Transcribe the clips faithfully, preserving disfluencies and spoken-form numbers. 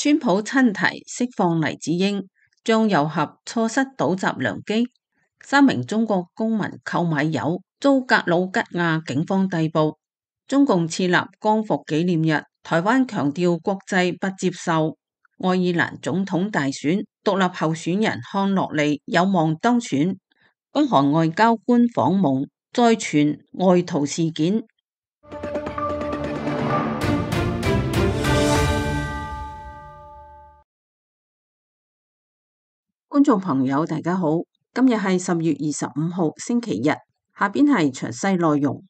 川普親提釋放黎智英，醬油俠錯失倒襲良機。三名中國公民購買油遭格魯吉亞警方逮捕。中共設立光復紀念日，台灣強調國際不接受。愛爾蘭總統大選，獨立候選人康諾利有望當選。北韓外交官訪蒙，再傳外逃事件。觀眾朋友大家好，今日係十月二十五號星期日，下邊係詳細內容。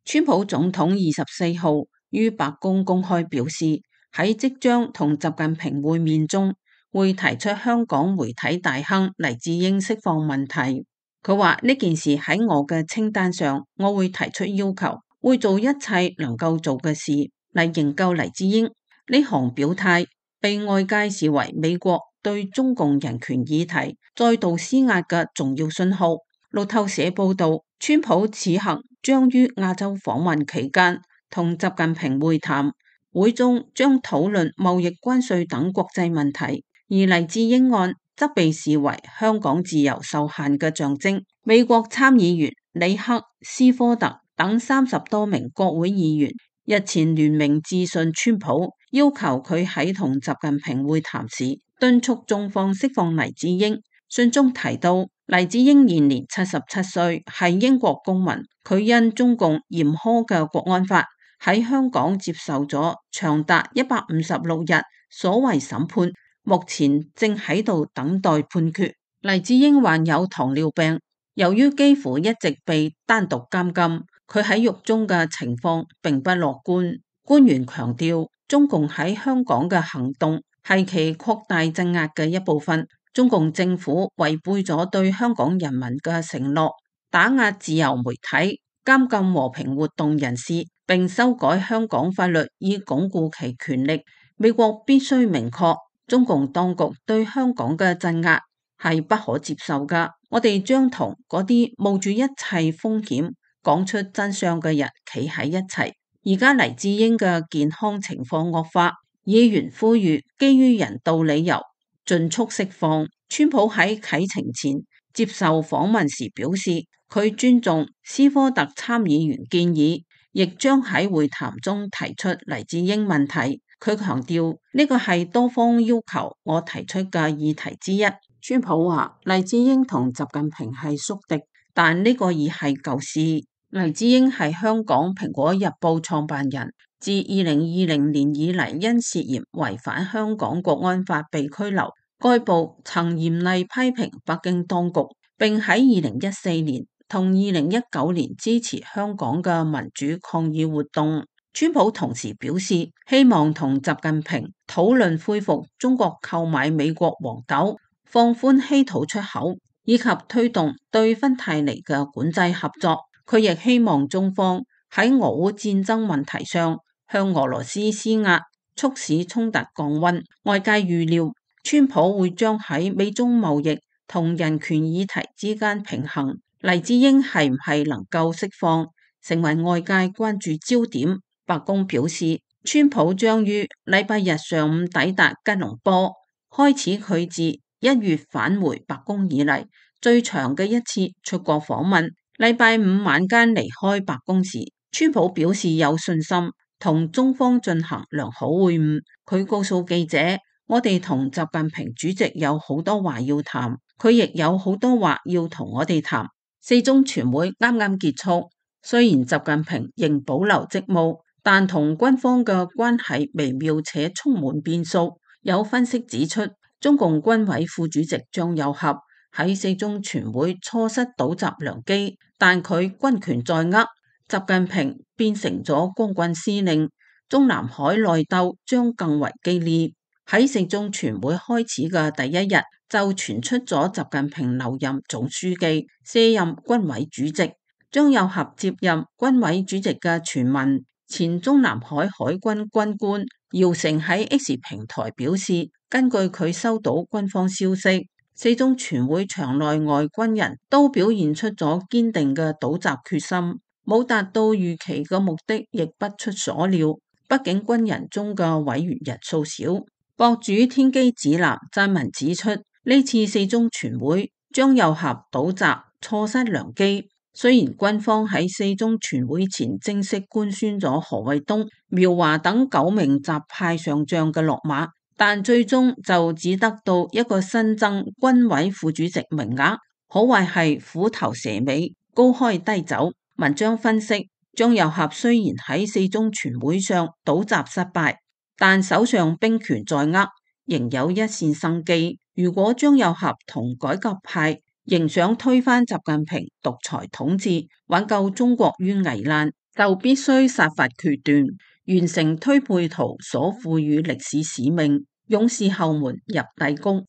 川普總統二十四號於白宮公開表示，喺即將同習近平會面中，會提出香港媒體大亨黎智英釋放問題。佢話呢件事喺我嘅清單上，我會提出要求，會做一切能夠做嘅事嚟營救黎智英。呢項表態被外界視為美國對中共人權議題再度施壓嘅重要信號。路透社報道，川普此行將於亞洲訪問期間同習近平會談，會中將討論貿易關稅等國際問題，而黎智英案則被視為香港自由受限嘅象徵。美國參議員里克斯科特等三十多名國會議員日前聯名致信川普，要求佢喺同習近平會談時敦促中方釋放黎智英。信中提到，黎智英現年七十七歲，係英國公民。佢因中共嚴苛嘅國安法喺香港接受咗長達一百五十六日所謂審判，目前正喺度等待判決。黎智英患有糖尿病，由於幾乎一直被單獨監禁，佢喺獄中嘅情況並不樂觀。官員強調，中共喺香港嘅行動係其擴大鎮壓嘅一部分。中共政府違背咗對香港人民嘅承諾，打壓自由媒體，監禁和平活動人士，並修改香港法律以鞏固其權力。美國必須明確，中共當局對香港嘅鎮壓係不可接受㗎。我哋將同嗰啲冒住一切風險講出真相嘅人企喺一齊。而家黎智英嘅健康情況惡化，議員呼籲基於人道理由盡速釋放。川普喺啟程前接受訪問時表示，佢尊重斯科特參議員建議，亦將喺會談中提出黎智英問題。佢強調呢個係多方要求我提出嘅議題之一。川普話黎智英同習近平係宿敵，但呢個已係舊事。黎智英係香港蘋果日報創辦人，自二零二零年以嚟因涉嫌違反香港國安法被拘留。該報曾嚴厲批評北京當局，並喺二零一四年同二零一九年支持香港嘅民主抗議活動。川普同時表示，希望同習近平討論恢復中國購買美國黃豆、放寬稀土出口，以及推動對芬太尼嘅管制合作。佢亦希望中方喺俄烏戰爭問題上向俄羅斯施壓，促使衝突降溫。外界預料川普會將喺美中貿易同人權議題之間平衡。黎智英係唔係能夠釋放，成為外界關注焦點。白宮表示，川普將於禮拜日上午抵達吉隆坡，開始佢自一月返回白宮以嚟最長嘅一次出國訪問。禮拜五晚間離開白宮時，川普表示有信心同中方進行良好會晤。佢告訴記者，我哋同習近平主席有好多話要談，佢亦有好多話要同我哋談。四中全會啱啱結束，雖然習近平仍保留職務，但同軍方嘅關係微妙且充滿變數。有分析指出，中共軍委副主席張又俠喺四中全會錯失倒襲良機，但佢軍權在握，習近平變成咗光棍司令，中南海內鬥將更為激烈。喺四中全會開始嘅第一日，就傳出咗習近平留任總書記，卸任軍委主席。張又俠接任軍委主席嘅傳聞，前中南海海軍軍官姚成喺 X 平台表示，根據佢收到軍方消息，四中全會場內外軍人都表現出咗堅定嘅倒襲決心，冇達到預期嘅目的亦不出所料。畢竟軍人中嘅委員人數少。博主天機指南撰文指出，呢次四中全會張又俠倒閘錯失良機。雖然軍方喺四中全會前正式官宣咗何衛東、苗華等九名習派上將嘅落馬，但最終就只得到一個新增軍委副主席名額，可謂係虎頭蛇尾，高開低走。文章分析，張又俠雖然喺四中全會上倒閘失敗，但手上兵權在握，仍有一線生機。如果張又俠同改革派仍想推翻習近平獨裁統治，挽救中國於危難，就必須殺伐決斷，完成推背圖所賦予歷史使命，勇士後門入帝宮。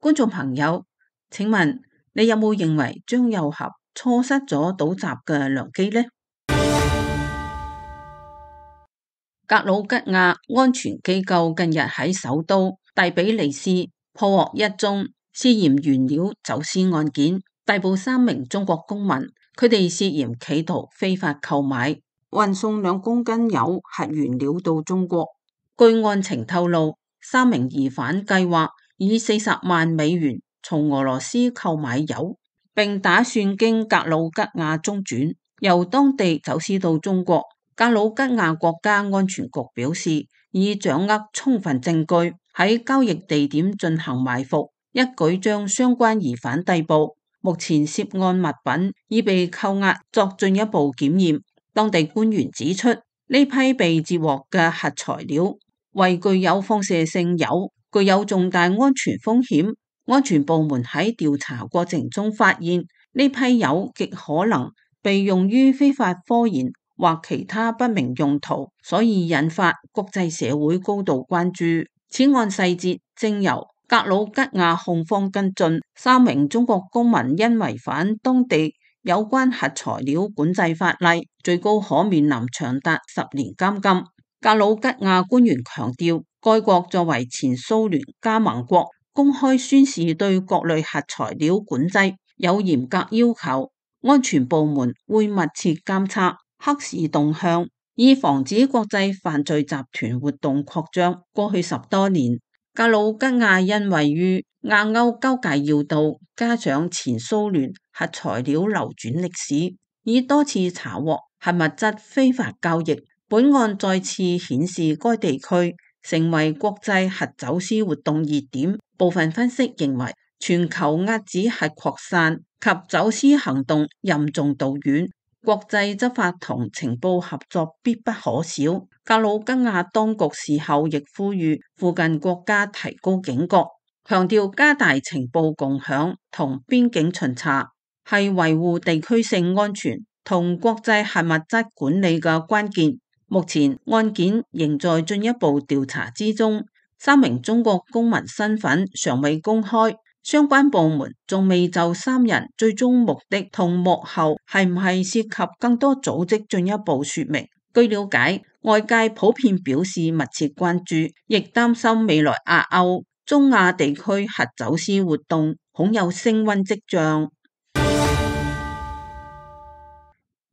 觀眾朋友，請問你有冇認為張又俠錯失咗倒閘嘅良機呢？格魯吉亞安全機構近日喺首都第比利斯破獲一宗涉嫌原料走私案件，逮捕三名中國公民，佢哋涉嫌企圖非法購買、運送兩公斤鈾核原料到中國。據案情透露，三名疑犯計劃以四十萬美元從俄羅斯購買鈾，並打算經格魯吉亞中轉，由當地走私到中國。格魯吉亞國家安全局表示，已掌握充分證據，喺交易地點進行埋伏，一舉將相關疑犯逮捕。目前涉案物品已被扣押作進一步檢驗。當地官員指出，呢批被截獲嘅核材料為具有放射性鈾，具有重大安全風險。安全部門喺調查過程中發現，呢批鈾極可能被用於非法科研或其他不明用途，所以引發國際社會高度關注。此案細節正由格魯吉亞控方跟進。三名中國公民因違反當地有關核材料管制法例，最高可面臨長達十年監禁。格魯吉亞官員強調，該國作為前蘇聯加盟國，公開宣示對各類核材料管制有嚴格要求，安全部門會密切監測黑市動向，以防止國際犯罪集團活動擴張。過去十多年，格魯吉亞因位於亞歐交界要道，加上前蘇聯核材料流轉歷史，已多次查獲核物質非法交易。本案再次顯示該地區成為國際核走私活動熱點。部分分析認為，全球遏止核擴散及走私行動任重道遠，國際執法同情報合作必不可少。格魯吉亞當局事後亦呼籲附近國家提高警覺，強調加大情報共享同邊境巡查係維護地區性安全同國際核物質管理嘅關鍵。目前案件仍在進一步調查之中，三名中國公民身份尚未公開，相關部門仲未就三人最終目的同幕後係唔係涉及更多組織進一步說明。據了解，外界普遍表示密切關注，亦擔心未來亞歐、中亞地區核走私活動恐有升溫跡象。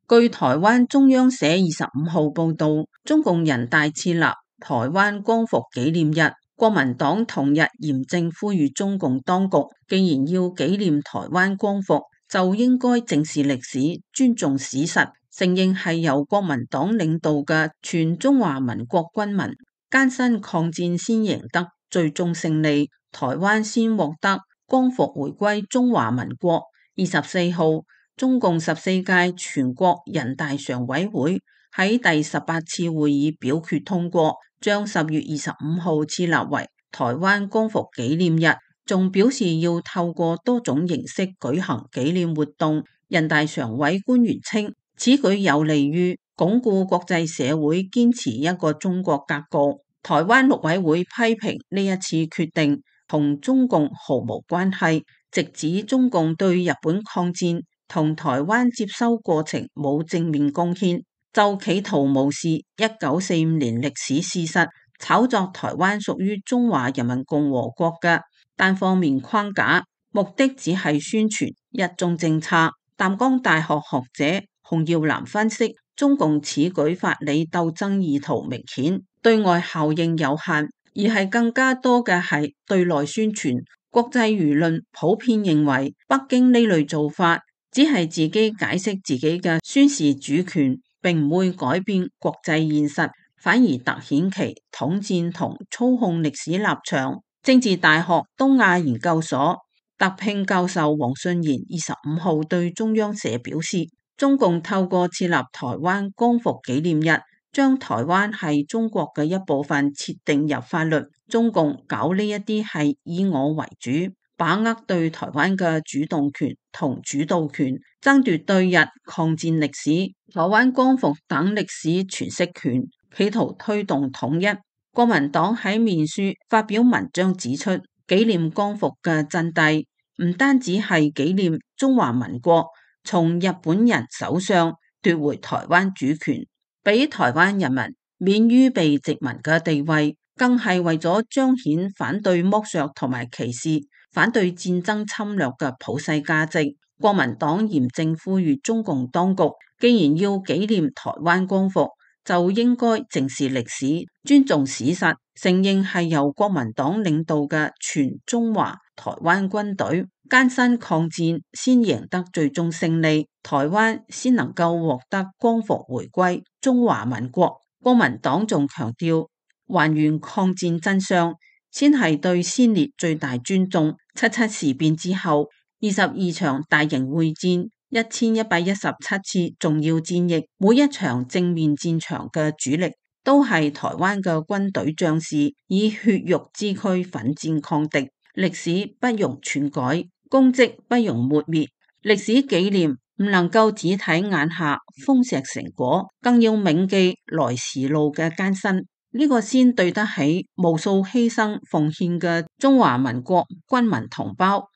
據台灣中央社二十五號報道，中共人大設立台灣光復紀念日，國民黨同日嚴正呼籲中共當局，既然要紀念台灣光復，就應該正視歷史，尊重史實，承認係由國民黨領導嘅全中華民國軍民艱辛抗戰先贏得最終勝利，台灣先獲得光復回歸中華民國。二十四號，中共十四屆全國人大常委會喺第十八次會議表決通過，將十月二十五號設立為台灣光復紀念日，仲表示要透過多種形式舉行紀念活動。人大常委官員稱，此舉有利於鞏固國際社會堅持一個中國格局。台灣陸委會批評呢一次決定同中共毫無關係，直指中共對日本抗戰同台灣接收過程冇正面貢獻，就企圖無視一九四五年歷史事實，炒作台灣屬於中華人民共和國嘅單方面框架，目的只係宣傳一中政策。淡江大學學者洪耀南分析，中共此舉法理鬥爭意圖明顯，對外效應有限，而係更加多嘅係對內宣傳。國際輿論普遍認為，北京呢類做法只係自己解釋自己嘅宣示主權，並唔會改變國際現實，反而凸顯其統戰同操控歷史立場。政治大學東亞研究所特聘教授黃信賢二十五號對中央社表示，中共透過設立台灣光復紀念日，將台灣係中國嘅一部分設定入法律。中共搞呢一啲係以我為主，把握對台灣嘅主動權同主導權，爭奪對日抗戰歷史、台灣光復等歷史詮釋權，企圖推動統一。國民黨喺面書發表文章指出，紀念光復嘅真諦唔單止係紀念中華民國從日本人手上奪回台灣主權，俾台灣人民免於被殖民嘅地位，更係為咗彰顯反對剝削同埋歧視、反對戰爭侵略嘅普世價值。國民黨嚴正呼籲中共當局，既然要紀念台灣光復，就應該正視歷史、尊重史實，承認係由國民黨領導嘅全中華台灣軍隊艱辛抗戰，先贏得最終勝利，台灣先能夠獲得光復回歸中華民國。國民黨仲強調，還原抗戰真相，先係對先烈最大尊重。七七事變之後，二十二場大型會戰，一千一百一十七次重要戰役，每一場正面戰場嘅主力都係台灣嘅軍隊將士，以血肉之軀奮戰抗敵。歷史不容篡改，功績不容抹滅。歷史紀念唔能夠只睇眼下豐碩成果，更要銘記來時路嘅艱辛。呢個先對得起無數犧牲奉獻嘅中華民國軍民同胞。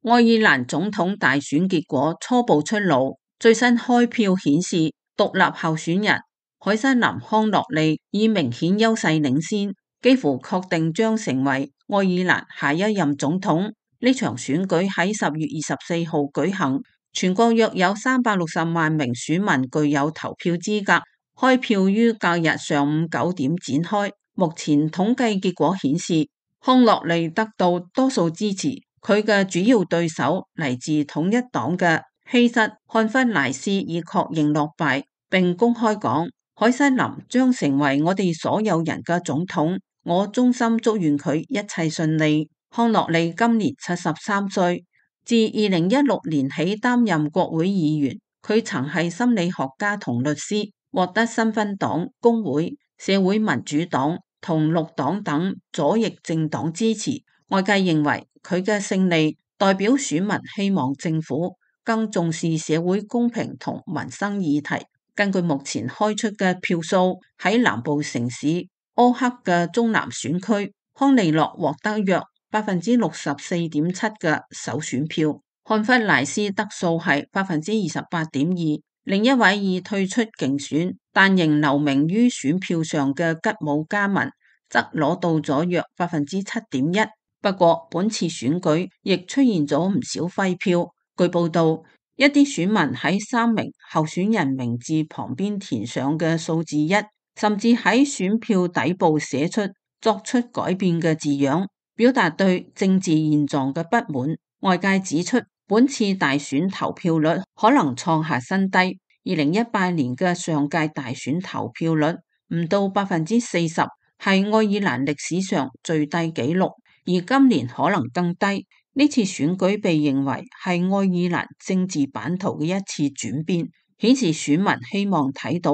愛爾蘭總統大選結果初步出爐，最新開票顯示，獨立候選人凱瑟琳康諾利以明顯優勢領先，幾乎確定將成為愛爾蘭下一任總統。呢場選舉喺十月二十四號舉行，全國約有三百六十萬名選民具有投票資格。開票於隔日上午九點展開。目前統計結果顯示，康諾利得到多數支持，佢嘅主要對手嚟自統一黨嘅希瑟漢弗萊斯已確認落敗，並公開講，凱瑟琳將成為我哋所有人嘅總統，我衷心祝願佢一切順利。康諾利今年七十三歲，自二零一六年起擔任國會議員，佢曾係心理學家同律師，獲得新芬黨、工會、社會民主黨同綠黨等左翼政黨支持。外界認為佢嘅勝利代表選民希望政府更重視社會公平同民生議題。根據目前開出嘅票數，喺南部城市柯克嘅中南選區，康利諾獲得約百分之六十四點七嘅首選票，漢弗萊斯得數係百分之二十八點二。另一位已退出競選但仍留名於選票上嘅吉姆加文則攞到咗約百分之七點一。不過本次選舉亦出現咗唔少廢票。據報道，一啲選民喺三名候選人名字旁邊填上嘅數字一，甚至喺選票底部寫出作出改變嘅字樣，表達對政治現狀嘅不滿。外界指出，本次大選投票率可能創下新低，二零一八年嘅上屆大選投票率唔到百分之四十，係愛爾蘭歷史上最低紀錄，而今年可能更低。呢次選舉被認為係愛爾蘭政治版圖嘅一次轉變，顯示選民希望睇到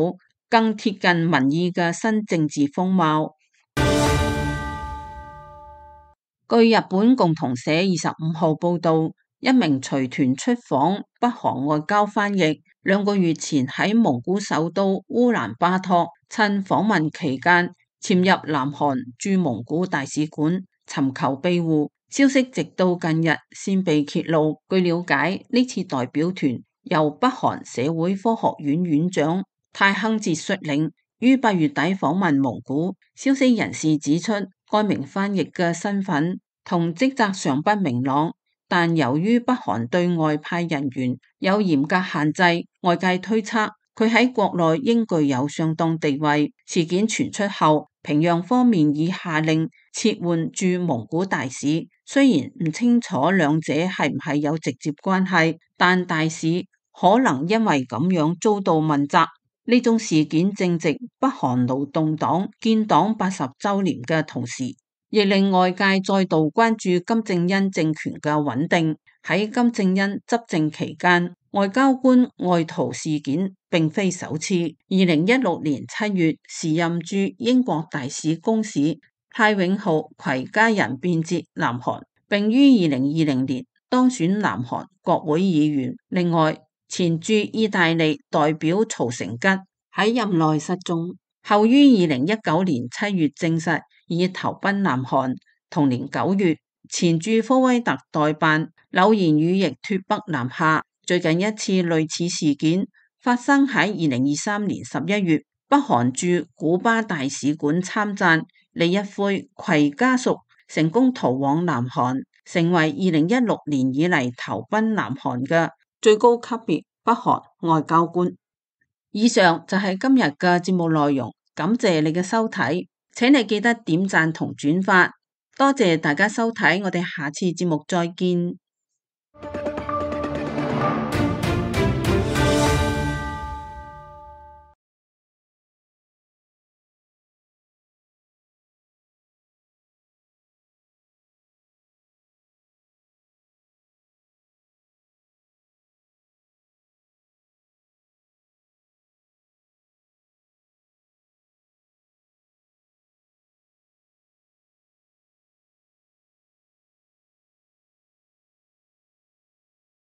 更貼近民意嘅新政治風貌。據日本共同社二十五號報道，一名隨團出訪北韓外交翻譯，兩個月前喺蒙古首都烏蘭巴托趁訪問期間潛入南韓駐蒙古大使館尋求庇護，消息直到近日先被揭露。據了解，呢次代表團由北韓社會科學院院長泰亨哲率領，於八月底訪問蒙古。消息人士指出，該名翻譯嘅身份同職責尚不明朗，但由於北韓對外派人員有嚴格限制，外界推測佢喺國內應具有相當地位。事件傳出後，平壤方面已下令撤換駐蒙古大使。雖然唔清楚兩者係唔係有直接關係，但大使可能因為咁樣遭到問責。呢種事件正值北韓勞動黨建黨八十週年嘅同時，亦令外界再度關注金正恩政權嘅穩定。喺金正恩執政期間，外交官外逃事件並非首次。二零一六年七月，時任駐英國大使公使泰永浩攜家人變節南韓，並於二零二零年當選南韓國會議員。另外，前駐意大利代表曹成吉喺任內失蹤，後於二零一九年七月證實已投奔南韓。同年九月，前駐科威特代辦柳賢宇亦脫北南下。最近一次類似事件發生喺二零二三年十一月，北韓駐古巴大使館參贊李一輝攜家屬成功逃往南韓，成為二零一六年以嚟投奔南韓嘅最高級別北韓外交官。以上就係今日嘅節目內容，感謝你嘅收睇，請你記得點讚同轉發，多謝大家收睇，我哋下次節目再見。